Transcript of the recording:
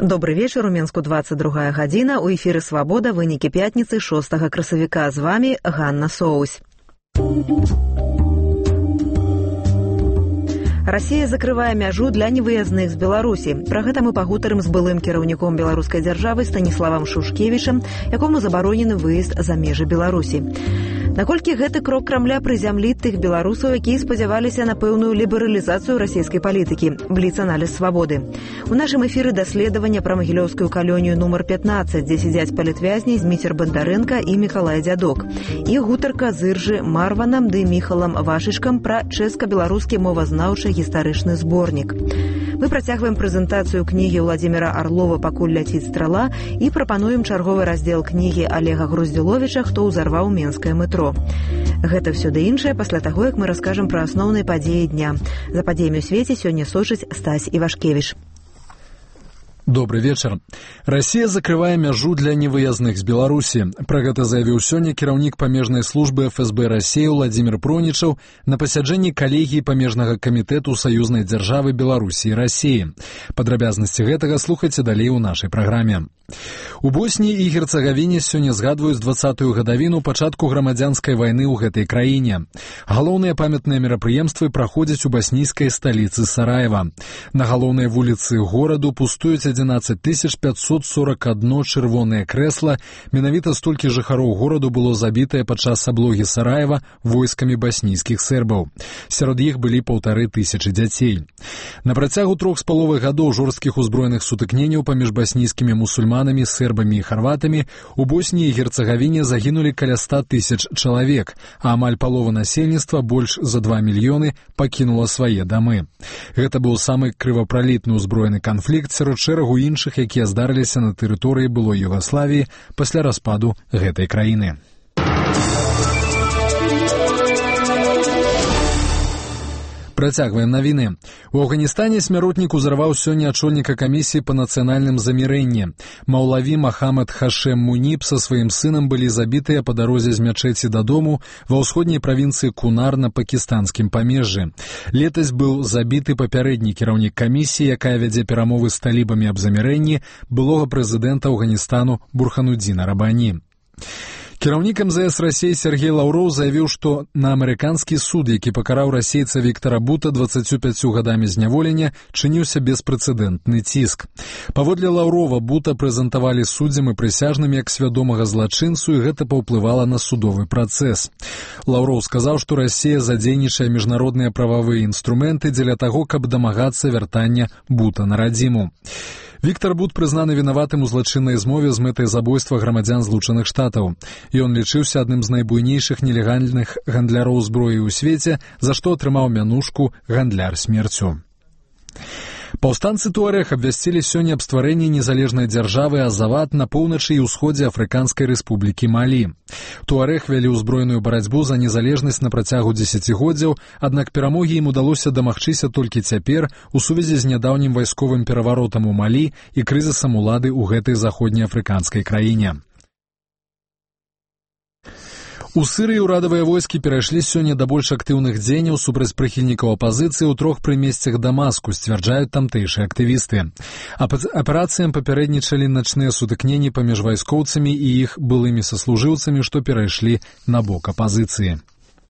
Добрый вечер, у Менску 22 гадзіна, у эфіры «Свабода», вынікі пятніцы 6 красавіка. З вами Ганна Соусь. Россия закрывае мяжу для невыязных з Беларусі. Пра гэта мы пагутарым з былым кіраўніком беларускай дзяржавы Станіславам Шушкевічам, якому забаронены выезд за межы Беларусі. Наколькі гэты крок Крамля прызямліць тых беларусаў, якія спадзяваліся на пэўную лібералізацыю расійскай палітыкі? Бліц-аналіз «Свабоды». У нашым эфіры даследавання пра магілёўскую калонію нумар 15, дзе сядзяць палітвязні Зміцер Бандарэнка і Мікалай Дзядок. І гутарка з Іржы Марванам ды Міхалам Вашышкам пра чэшска-беларускі мовазнаўчы гістарычны зборнік. Мы працягваем прэзентацыю кнігі Владзіміра Арлова «Пакуль ляціць страла» і прапануем чарговы раздзел кнігі Олега Груздзіловіча «Хто ўзарваў менскае метро». Гэта ўсё ды іншае пасля таго, як мы раскажам пра асноўныя падзеі дня. За падзеямі ў свеце сёння сочыць Стась Івашкевіч. Добрый вечер. Россия закрывае мяжу для невыязных з Беларусі. Пра гэта заявіў сёння кіраўнік памежнай службы ФСБ России Владимир Пронічаў на пасяджэнні калегіі памежнага камітэту саюзнай дзяржавы Беларусі і России. Падрабязнасці гэтага слухайце далей у нашай праграме. У Боснії і Герцагавіне сёння згадваюць 20-ю гадавіну пачатку грамадзянскай вайны ў гэтай краіне. Галоўныя памятныя мерапрыемствы праходзяць у баснійскай сталіцы Сараева. На галоўнай вуліцы гораду пустуюць 11 541 чырвонае крэсла. Менавіта столькі жыхароў гораду было забітае падчас аблогі Сараева войскамі баснійскіх сербаў. Сярод іх былі 1500 дзяцей. На працягу 3,5 гадоў жорсткіх узброеных сутыкненняў паміж баснійскімі мусульманамі, сербамі і харватамі у Босніі і Герцагавіне загінулі каля 100 000 чалавек, а амаль палова насельніцтва, больш за 2 мільёны, пакінула свае дамы. Гэта быў самы крывапралітны ўзброены канфлікт сярод шэрагу іншых, якія здарыліся на тэрыторыі былой Югаславіі пасля распаду гэтай краіны. Працягваем навіны. У Афганістане смяротнік узарваў сёння ачольніка камісіі па нацыянальным замірэнні. Маўлаві Махамад Хашем Муніб са сваім сынам былі забітыя па дарозе з мячэці дадому ва ўсходняй правінцыі Кунар на пакістанскім памежжы. Летась быў забіты папярэдні кіраўнік камісіі, якая вядзе перамовы з талібамі аб замірэнні, былога прэзідэнта Афганістану Бурханудзіна Рабані. Кіраўнік МЗС России Сергей Лаўроў заявіў, што на амерыканскі суд, які пакараў расейца Віктара Бута 25 гадамі зняволення, чыніўся беспрэцэдэнтны ціск. Паводле Лаўрова Бута прэзентавалі суддзям і прысяжным як свядомага злачынцу, і гэта паўплывала на судовы працэс. Лаўроў сказаў, што Расія задзейнічае міжнародныя прававыя інструменты дзеля таго, каб дамагацца вяртання Бута на радзіму. Віктар Бут прызнаны вінаватым у злачыннай змове з мэтай забойства грамадзян Злучаных Штатаў. Ён лічыўся адным з найбуйнейшых нелегальных гандляроў зброі ў свеце, за што атрымаў мянушку «гандляр смерцю». Паўстанцы Туарэг абвясцілі сёння аб стварэнні незалежнай дзяржавы Азават на поўначы і ўсходзе Афрыканскай рэспублікі Малі. Туарэг вялі ўзброеную барацьбу за незалежнасць на працягу дзесяцігоддзяў, аднак перамогі ім удалося дамагчыся толькі цяпер у сувязі з нядаўнім вайсковым пераваротам у Малі і крызісам улады ў гэтай заходнеафрыканскай краіне. У Сырыі ўрадавыя войскі перайшлі сёння да больш актыўных дзеянняў супраць прыхільнікаў апазіцыі ў 3 прымесцях Дамаску, сцвярджаюць тамтэйшыя актывісты. Аперацыям папярэднічалі начныя сутыкненні паміж вайскоўцамі і іх былымі саслужыўцамі, што перайшлі на бок апазіцыі.